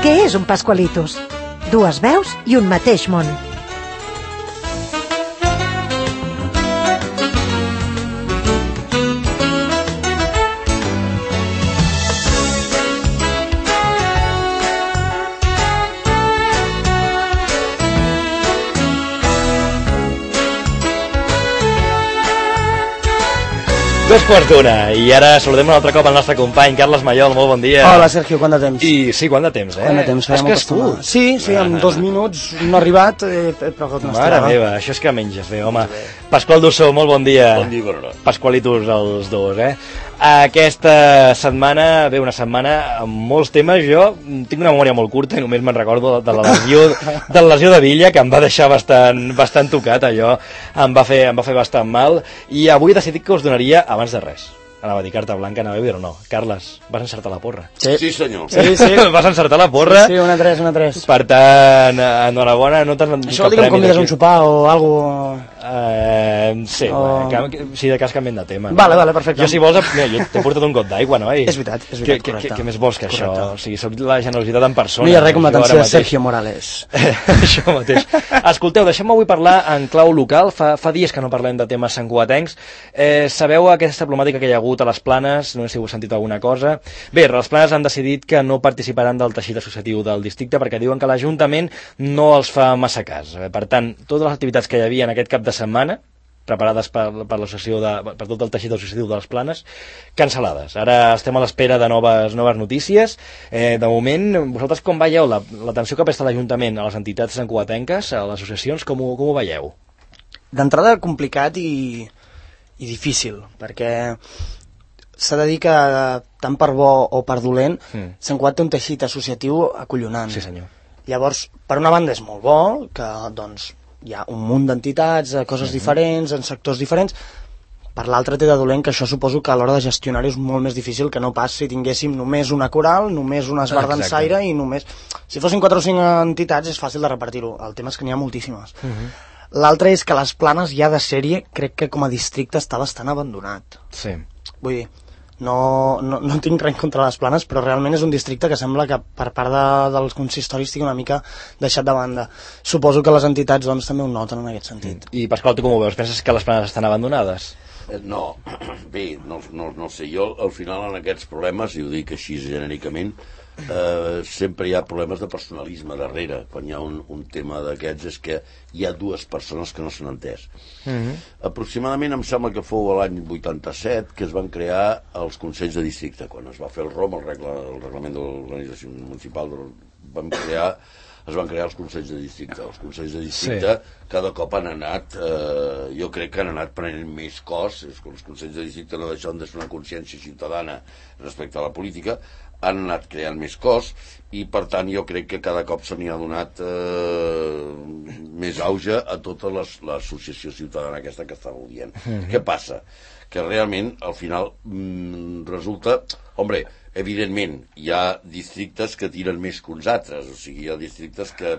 Què és un Pascualitos? Dues veus i un mateix món. Dos quarts d'una, i ara saludem un altre cop al nostre company, Carles Maiol, molt bon dia. Hola, Sergio, quant de temps? I sí, quant de temps, Quant de temps, Has crescut? Sí, en 2 minuts no ha arribat, però que no Mare meva, això és que menges bé, home. Pasqual Dussó, molt bon dia. Bon dia, bona hora. Pasqualitos els dos, Aquesta setmana, una setmana amb molts temes. Jo tinc una memòria molt curta i només me'n recordo de la lesió de Villa, que em va deixar bastant tocat, allò. Em va fer bastant mal, i avui he decidit que us donaria, abans de res, anava a dir carta blanca, anava a dir o no. Carles, vas encertar la porra. Sí, senyor. Sí. Vas encertar la porra. Sí, una 3. Per tant, enhorabona, no t'has... Això vol dir que em convides a un sopar o alguna cosa... Sí, si de cas canviem de tema. Vale, perfecte. Jo, si vols, mira, jo t'he portat un got d'aigua, no? És veritat, correcte. Què més vols que això? O sigui, soc la generositat en persona. No hi ha res com l'atenció de Sergio Morales. Això mateix. Escolteu, deixem-me avui parlar en clau local. Fa dies que no parlem de temes santcugatencs. Sabeu aquesta problemàtica que hi ha hagut a les Planes? No sé si heu sentit alguna cosa. Bé, les Planes han decidit que no participaran del teixit associatiu del districte perquè diuen que l'Ajuntament no els fa massa cas. Per tant, totes les activitats que hi havia en aquest cap de setmana, preparades per tot el teixit associatiu de les Planes, cancel·lades. Ara estem a l'espera de noves notícies. De moment, vosaltres com veieu l'atenció que presta l'Ajuntament a les entitats santcugatenques, a les associacions, com ho veieu? D'entrada, complicat i difícil, perquè s'ha de dir que tant per bo o per dolent, Sant Cugat té un teixit associatiu acollonant. Sí, senyor. Llavors, per una banda és molt bo, que doncs hi ha un munt d'entitats, coses diferents, en sectors diferents. Per l'altra té de dolent que això suposo que a l'hora de gestionar-ho és molt més difícil que no pas si tinguéssim només una coral, només una esbar dansaire i només... Si fossin 4 o 5 entitats és fàcil de repartir-ho, el tema és que n'hi ha moltíssimes. L'altre és que les Planes ja de sèrie crec que com a districte està bastant abandonat. Sí. Vull dir, no tinc res contra les Planes, però realment és un districte que sembla que per part dels consistoris estigui una mica deixat de banda. Suposo que les entitats doncs també ho noten en aquest sentit. I Pasqual, tu com ho veus? Penses que les Planes estan abandonades? No, bé, no sé, jo al final en aquests problemes, i ho dic així genèricament, sempre hi ha problemes de personalisme darrere. Quan hi ha un tema d'aquests és que hi ha 2 persones que no s'han entès. Aproximadament em sembla que fou l'any 87 que es van crear els Consells de Districte. Quan es va fer el ROM, el reglament de l'organització municipal, es van crear els Consells de Districte. Els Consells de Districte cada cop han anat, jo crec que han anat prenent més cos. Els Consells de Districte no deixen de ser una consciència ciutadana respecte a la política, han anat creant més cos i per tant jo crec que cada cop se n'hi ha donat més auge a tota l'associació ciutadana aquesta que estàveu dient. Què passa? Que realment al final resulta, evidentment hi ha districtes que tiren més que uns altres, o sigui, hi ha districtes que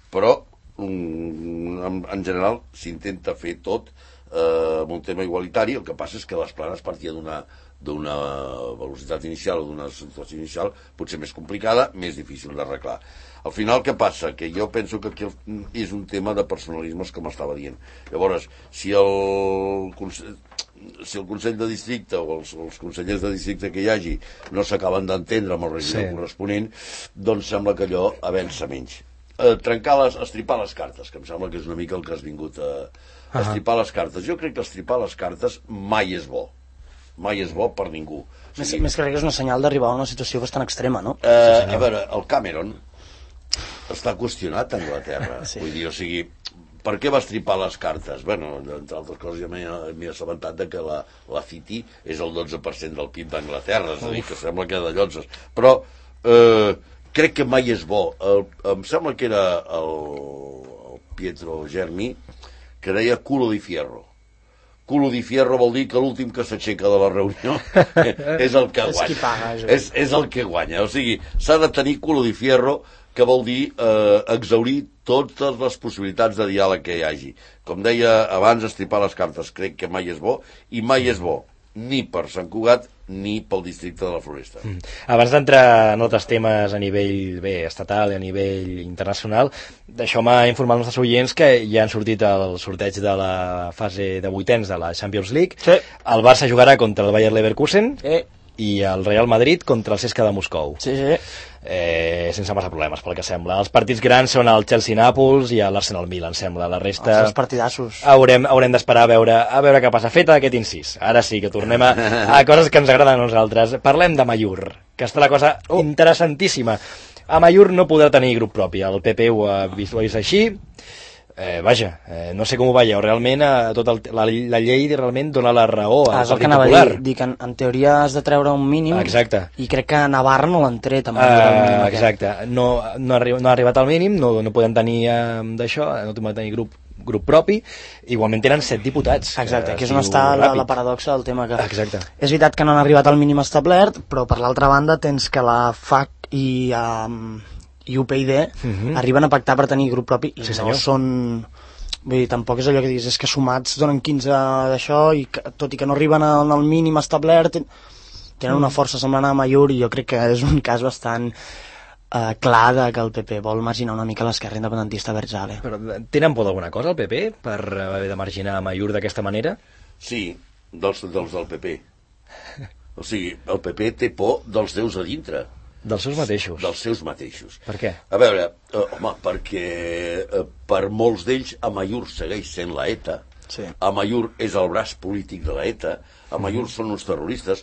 però en general s'intenta fer tot amb un tema igualitari. El que passa és que les Planes partia d'una velocitat inicial o d'una situació inicial potser més complicada, més difícil d'arreglar. Al final què passa? Que jo penso que aquí és un tema de personalismes, com estava dient. Llavors, si el Consell de Districte o els consellers de districte que hi hagi no s'acaben d'entendre amb el regidor corresponent, doncs sembla que allò avança menys. Estripar les cartes, que em sembla que és una mica el que has vingut a estripar les cartes. Jo crec que estripar les cartes mai és bo. Mai és bo per ningú. Més que crec que és una senyal d'arribar a una situació bastant extrema, no? A veure, el Cameron està qüestionat a Anglaterra. Vull dir, o sigui, per què va estripar les cartes? Bueno, entre altres coses ja m'he assabentat de que la City és el 12% del PIB d'Anglaterra, és a dir, que sembla que de llotzes. Però crec que mai és bo. Em sembla que era el Pietro Germi que deia culo di fierro. Culo di fierro vol dir que l'últim que s'aixeca de la reunió és el que guanya. És qui paga. És el que guanya. O sigui, s'ha de tenir culo di fierro, que vol dir exhaurir totes les possibilitats de diàleg que hi hagi. Com deia abans, estripar les cartes crec que mai és bo, i mai és bo ni per Sant Cugat ni pel districte de la Floresta. Abans d'entrar en altres temes a nivell estatal i a nivell internacional, d'això m'ha informat els nostres oients que ja han sortit el sorteig de la fase de vuitens de la Champions League. Sí. El Barça jugarà contra el Bayer Leverkusen Sí. i el Real Madrid contra el CSKA de Moscou. Sí, sí. Sense massa problemes, pel que sembla. Els partits grans són el Chelsea-Nàpols i l'Arsenal-Milan, sembla. La resta... Els partidassos. Haurem d'esperar a veure què passa. Fet aquest incís. Ara sí que tornem a coses que ens agraden a nosaltres. Parlem de Amaiur, que està la cosa interessantíssima. Amaiur no podrà tenir grup propi. El PP ho ha vist així. No sé com ho veieu. Realment, la llei realment dona la raó al És el Partit que anava Popular. a dir que en teoria has de treure un mínim. Exacte. I crec que a Navarra no l'han tret. Exacte. No ha arribat al mínim, no poden tenir d'això, no poden tenir grup propi. Igualment tenen 7 diputats. Exacte, que és on està la paradoxa del tema. Que Exacte. És veritat que no han arribat al mínim establert, però per l'altra banda tens que la FAC i UPyD arriben a pactar per tenir grup propi i no són... Vull dir, tampoc és allò que diguis, és que sumats donen 15 d'això i tot i que no arriben al mínim establert tenen una força semblant a Amaiur i jo crec que és un cas bastant clar de que el PP vol marginar una mica l'esquerra independentista Berzale. Però tenen por d'alguna cosa el PP per haver de marginar Amaiur d'aquesta manera? Sí, dels del PP. O sigui, el PP té por dels déus a dintre. Dels seus mateixos. Dels seus mateixos. Per què? A veure, perquè per molts d'ells Amaiur segueix sent la ETA. Sí. Amaiur és el braç polític de la ETA. Amaiur són uns terroristes.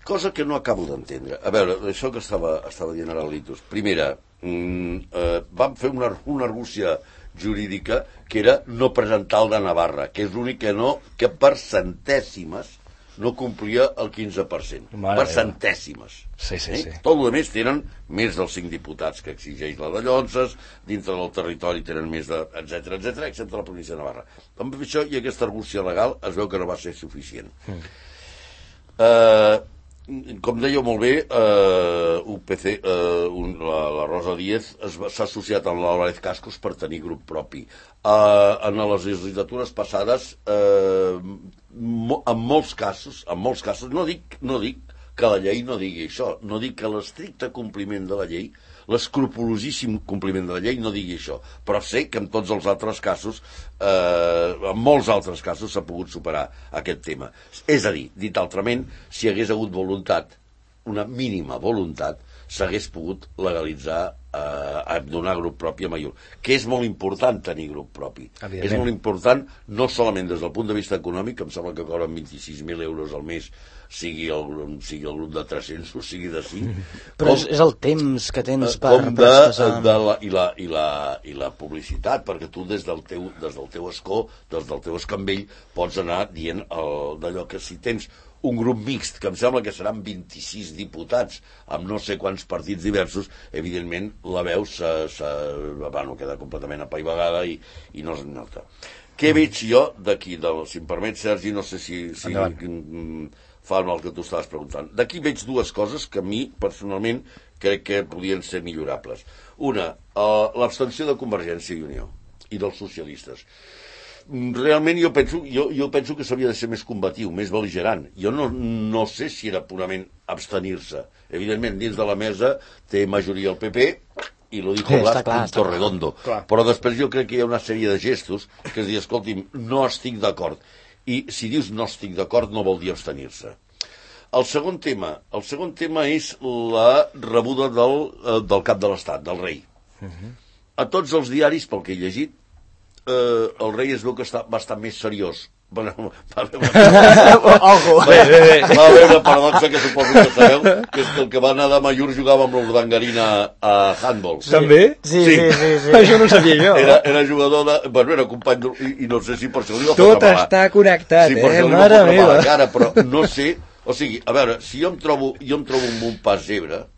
Cosa que no acabo d'entendre. A veure, això que estava dient ara Litus. Primera, vam fer una argúcia jurídica que era no presentar el de Navarra, que és l'únic que per centèsimes no complia el 15%. Per centèsimes. Sí. Tot el més tenen més dels 5 diputats que exigeix la de Llonses, dintre del territori tenen més de... etcètera, excepte la província de Navarra. Amb això i aquesta argúcia legal es veu que no va ser suficient. Com dèieu molt bé, UPC, la Rosa Díez s'ha associat amb l'Álvarez Cascos per tenir grup propi. En les legislatures passades, en molts casos, no dic que la llei no digui això, no dic que l'estricte compliment de la llei, l'escrupolosíssim compliment de la llei no digui això, però sé que en tots els altres casos, en molts altres casos s'ha pogut superar aquest tema. És a dir, dit altrament, si hagués hagut voluntat, una mínima voluntat, s'hagués pogut legalitzar donar grup propi a Amaiur, que és molt important tenir grup propi. És molt important no solament des del punt de vista econòmic, que em sembla que cobren 26.000 euros al mes, sigui el grup de 300 o sigui de 5. Però és el temps que tens per expressar... I la publicitat, perquè tu des del teu escó, des del teu escambell, pots anar dient d'allò que si tens un grup mixt, que em sembla que seran 26 diputats amb no sé quants partits diversos, evidentment la veu queda completament apaivagada i no es nota. Què veig jo d'aquí? Si em permet, Sergi, no sé si fa el que tu estaves preguntant. D'aquí veig dues coses que a mi, personalment, crec que podien ser millorables. Una, l'abstenció de Convergència i Unió i dels socialistes. Realment jo penso que s'havia de ser més combatiu, més bel·ligerant. Jo no sé si era purament abstenir-se. Evidentment, dins de la mesa té majoria el PP i lo dijo Blas punto redondo. Però després jo crec que hi ha una sèrie de gestos que es dir, escolti'm, no estic d'acord. I si dius no estic d'acord no vol dir abstenir-se. El segon tema és la rebuda del cap de l'Estat, del rei. A tots els diaris, pel que he llegit, el rei es veu que va estar més seriós. Va haver una paradoxa que suposo que sabeu, que és que el que va anar de Amaiur jugava amb l'Urdangarina a handball. També? Sí. Això no ho sabia jo. Era jugador de... Bueno, era company i no sé si per això li va tot està connectat, mare meva. Cara, però no sé... O sigui, a veure, si jo em trobo amb un pas zebra,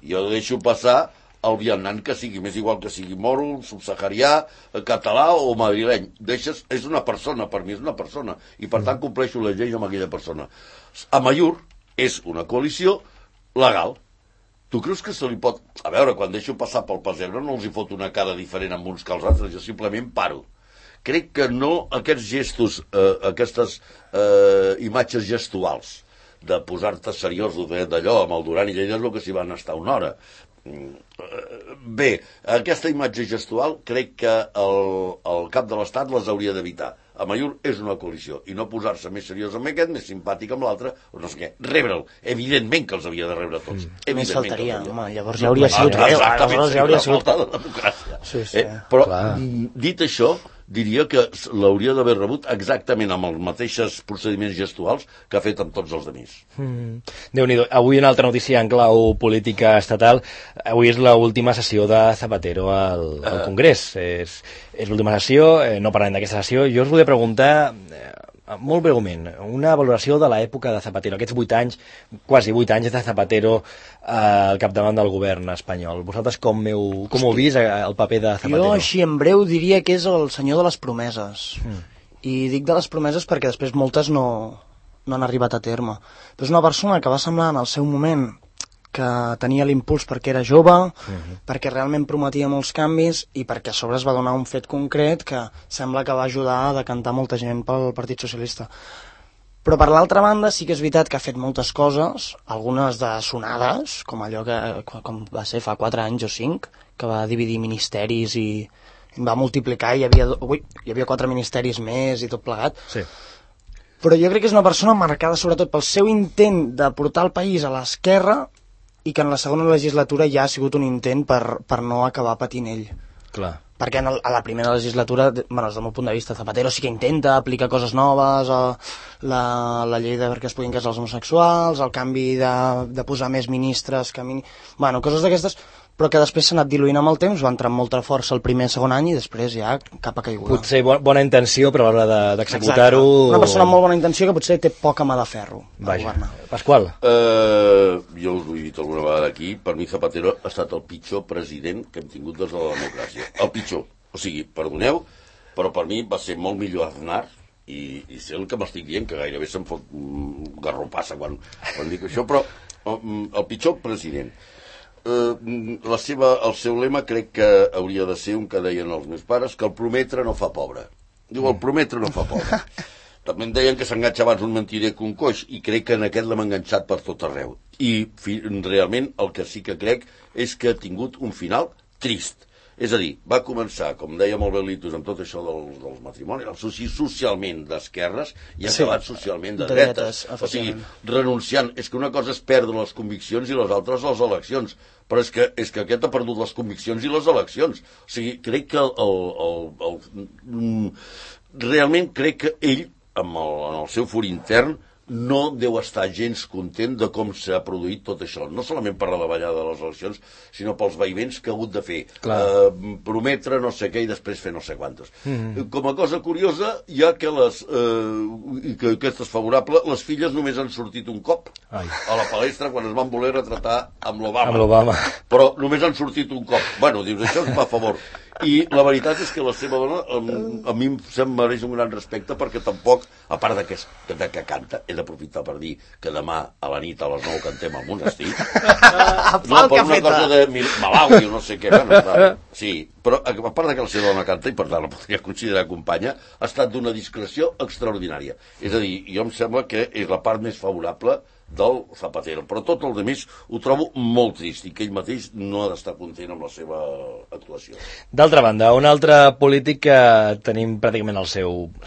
jo deixo passar el vianant que sigui, m'és igual que sigui moro, subsaharià, català o madrileny. És una persona, per mi és una persona, i per tant compleixo les lleis amb aquella persona. Amaiur és una coalició legal. Tu creus que se li pot... A veure, quan deixo passar pel pessebre no els hi fot una cara diferent amb uns que els altres, jo simplement paro. crec que no aquests gestos, aquestes imatges gestuals de posar-te seriós d'allò amb el Duran i Lleida és el que s'hi van estar una hora. Bé, aquesta imatge gestual crec que el cap de l'Estat les hauria d'evitar. Amaiur és una coalició i no posar-se més seriós amb aquest, més simpàtic amb l'altre, o no sé què, rebre'l. Evidentment que els havia de rebre tots. Més faltaria, home, llavors ja hauria sigut greu. Aleshores ja hauria sigut falta de democràcia. Sí. Però, dit això, diria que l'hauria d'haver rebut exactament amb els mateixos procediments gestuals que ha fet amb tots els altres. Déu-n'hi-do. Avui una altra notícia en clau política estatal. Avui és l'última sessió de Zapatero al Congrés. És l'última sessió, no parlem d'aquesta sessió. Jo us volia preguntar, molt breument, una valoració de l'època de Zapatero, aquests 8 anys, quasi 8 anys de Zapatero al capdavant del govern espanyol. Vosaltres com heu vist el paper de Zapatero? Jo, així en breu, diria que és el senyor de les promeses. I dic de les promeses perquè després moltes no han arribat a terme. Però és una persona que va semblar en el seu moment que tenia l'impuls perquè era jove, perquè realment prometia molts canvis i perquè a sobre es va donar un fet concret que sembla que va ajudar a decantar molta gent pel Partit Socialista. Però per l'altra banda sí que és veritat que ha fet moltes coses, algunes de sonades, com allò com va ser fa 4 anys o 5, que va dividir ministeris i va multiplicar i hi havia 4 ministeris més i tot plegat. Sí. Però jo crec que és una persona marcada sobretot pel seu intent de portar el país a l'esquerra i que en la segona legislatura ja ha sigut un intent per no acabar patint ell. Clar. Perquè a la primera legislatura, bueno, des del meu punt de vista, Zapatero sí que intenta aplicar coses noves, la llei de perquè es puguin casar els homosexuals, el canvi de posar més ministres, bueno, coses d'aquestes, però que després s'ha anat diluint amb el temps, va entrar amb molta força el primer i segon any i després ja cap a caiguda. Potser bona intenció, però a l'hora d'executar-ho... Una persona amb molt bona intenció que potser té poca mà de ferro a governar. Pasqual? Jo us ho he dit alguna vegada aquí, per mi Zapatero ha estat el pitjor president que hem tingut des de la democràcia. El pitjor. O sigui, perdoneu, però per mi va ser molt millor Aznar i sé el que m'estic dient, que gairebé se'm fot garropassa quan dic això, però el pitjor president. El seu lema crec que hauria de ser un que deien els meus pares, que el prometre no fa pobre. Diu, el prometre no fa pobre. També em deien que s'enganxa abans un mentider que un coix, i crec que en aquest l'hem enganxat per tot arreu. I realment el que sí que crec és que ha tingut un final trist. És a dir, va començar, com deia molt bé l'Itus, amb tot això dels matrimonis, socialment d'esquerres i ha acabat socialment de dretes. O sigui, renunciant. És que una cosa és perdre les conviccions i les altres les eleccions. Però és que aquest ha perdut les conviccions i les eleccions. O sigui, crec que realment crec que ell, en el seu fur intern, no deu estar gens content de com s'ha produït tot això, no solament per la davallada de les eleccions, sinó pels vaivents que ha hagut de fer, prometre no sé què i després fer no sé quantos. Com a cosa curiosa, hi ha que que aquesta és favorable, les filles només han sortit un cop a la palestra quan es van voler retratar amb l'Obama. Però només han sortit un cop. Bueno, dius, això es fa a favor. I la veritat és que la seva dona a mi em mereix un gran respecte perquè tampoc, a part de que canta, he d'aprofitar per dir que demà a la nit a les 9 cantem al monestir. No, per una cosa de Malawi o no sé què. Bueno, sí, però a part de que la seva dona canta, i per tant la podria considerar companya, ha estat d'una discreció extraordinària. És a dir, jo em sembla que és la part més favorable del Zapatero, però tot el demés ho trobo molt trist i que ell mateix no ha d'estar content amb la seva actuació. D'altra banda, un altre polític que tenim pràcticament es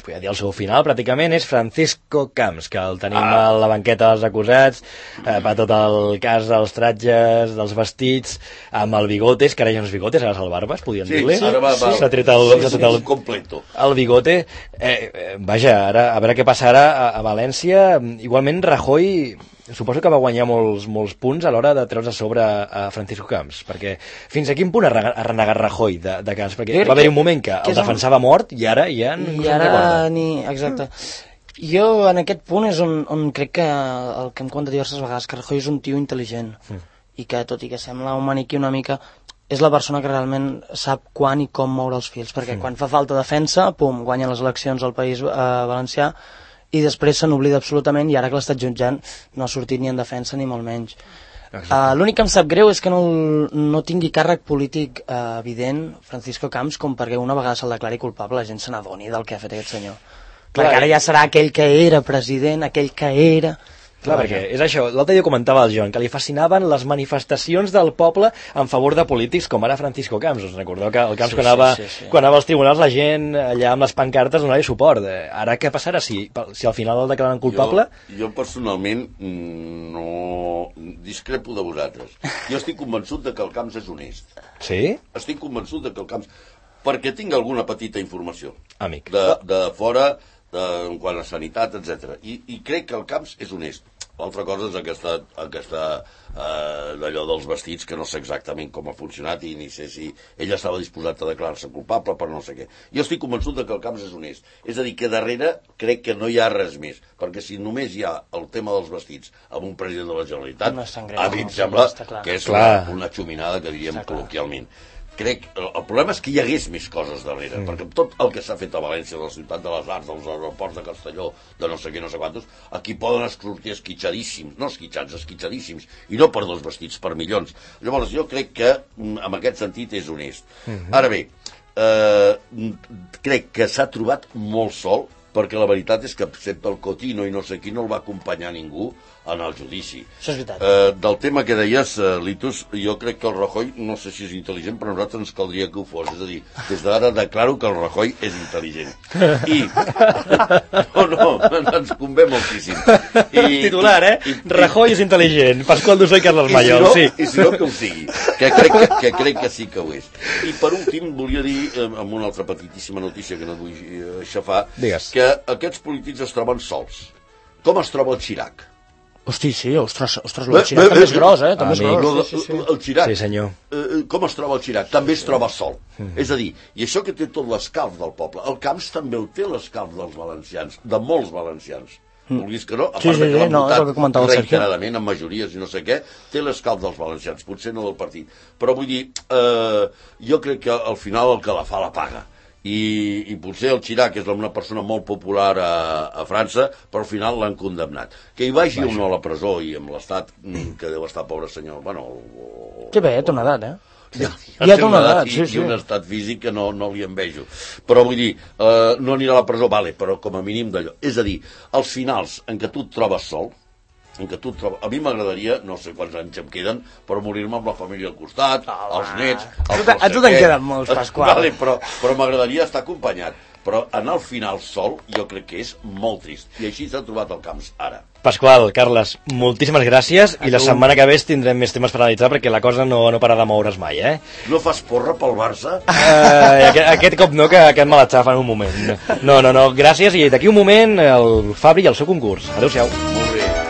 podria dir al seu final, pràcticament, és Francisco Camps, que el tenim a la banqueta dels acusats, per tot el cas dels tratges, dels vestits, amb el bigotes, que ara ja no és bigotes, ara és el barbes, podríem dir-li. Sí, ara s'ha tret el completo. El bigote. Vaja, ara a veure què passarà a València. Igualment, Rajoy suposo que va guanyar molts punts a l'hora de treure's a sobre a Francisco Camps, perquè fins a quin punt ha renegat Rajoy de Camps? Perquè va haver un moment que el defensava mort i ara ja no se'n recorda. Exacte. Jo en aquest punt és on crec que el que em conta diverses vegades, que Rajoy és un tio intel·ligent i que tot i que sembla un maniquí una mica és la persona que realment sap quan i com moure els fils, perquè quan fa falta defensa, pum, guanya les eleccions al País Valencià i després se n'oblida absolutament i ara que l'estat jutjant no ha sortit ni en defensa ni molt menys. L'únic que em sap greu és que no tingui càrrec polític evident Francisco Camps com perquè una vegada se'l declari culpable la gent se n'adoni del que ha fet aquest senyor. Clar, ara ja serà aquell que era president, aquell que era... Clar, perquè és això, l'altre dia comentava el Joan, que li fascinaven les manifestacions del poble en favor de polítics com ara Francisco Camps. Us recordeu que el Camps, quan anava als tribunals, la gent allà amb les pancartes donava suport. Ara què passarà si al final el declaren culpable? Jo personalment no discrepo de vosaltres. Jo estic convençut de que el Camps és honest. Sí? Estic convençut de que el Camps... Perquè tinc alguna petita informació. Amic. De fora, en quant a sanitat, etc. I crec que el Camps és honest. L'altra cosa és aquesta d'allò dels vestits, que no sé exactament com ha funcionat i ni sé si ell estava disposat a declarar-se culpable per no sé què. Jo estic convençut que el Camps és honest. És a dir, que darrere crec que no hi ha res més, perquè si només hi ha el tema dels vestits amb un president de la Generalitat, a mi em sembla que és una xuminada, que diríem col·loquialment. Crec, el problema és que hi hagués més coses darrere, perquè tot el que s'ha fet a València, de la ciutat de les arts, dels aeroports de Castelló, de no sé què, no sé quantos, aquí poden sortir esquitxadíssims, no esquitxats, esquitxadíssims, i no per 2 vestits, per milions. Llavors, jo crec que, en aquest sentit, és honest. Ara bé, crec que s'ha trobat molt sol, perquè la veritat és que, excepte el Cotino i no sé qui, no el va acompanyar ningú en el judici. Això és veritat. Del tema que deies, Litus, jo crec que el Rajoy, no sé si és intel·ligent, però a nosaltres ens caldria que ho fos. És a dir, des d'ara declaro que el Rajoy és intel·ligent. I... No, ens convé moltíssim. Titular, Rajoy és intel·ligent. Pasqual Dusó i Carles Mayol, sí. I si no, que ho sigui. Que crec que sí que ho és. I per últim, volia dir, amb una altra petitíssima notícia que no et vull aixafar, que aquests polítics es troben sols. Com es troba el Chirac? Hosti, sí, ostres, el Chirac també és gros, també és gros. El Chirac, sí, senyor. Com es troba el Chirac? També es troba sol. És a dir, i això que té tot l'escalf del poble, el Camps també ho té l'escalf dels valencians, de molts valencians. Vulguis que no, a part que l'han votat reiteradament, amb majories i no sé què, té l'escalf dels valencians, potser no del partit. Però vull dir, jo crec que al final el que la fa la paga. I potser el Chirac és una persona molt popular a França, però al final l'han condemnat. Que hi vagi o no a la presó i amb l'estat que deu estar, pobre senyor, bueno... Que bé, té una edat, Ja té una edat i un estat físic que no li envejo. Però vull dir, no anirà a la presó, vale, però com a mínim d'allò. És a dir, als finals en què tu et trobes sol, a mi m'agradaria, no sé quants anys em queden, però morir-me amb la família al costat, els nets... A tu te'n queden molts, Pasqual. Vale, però m'agradaria estar acompanyat. Però anar al final sol jo crec que és molt trist. I així s'ha trobat el Camps ara. Pasqual, Carles, moltíssimes gràcies i la setmana que ve tindrem més temes per analitzar perquè la cosa no para de moure's mai, No fas porra pel Barça? Aquest cop no, que me l'atxafa en un moment. No, gràcies i d'aquí un moment el Fabri i el seu concurs. Adéu-siau. Molt bé.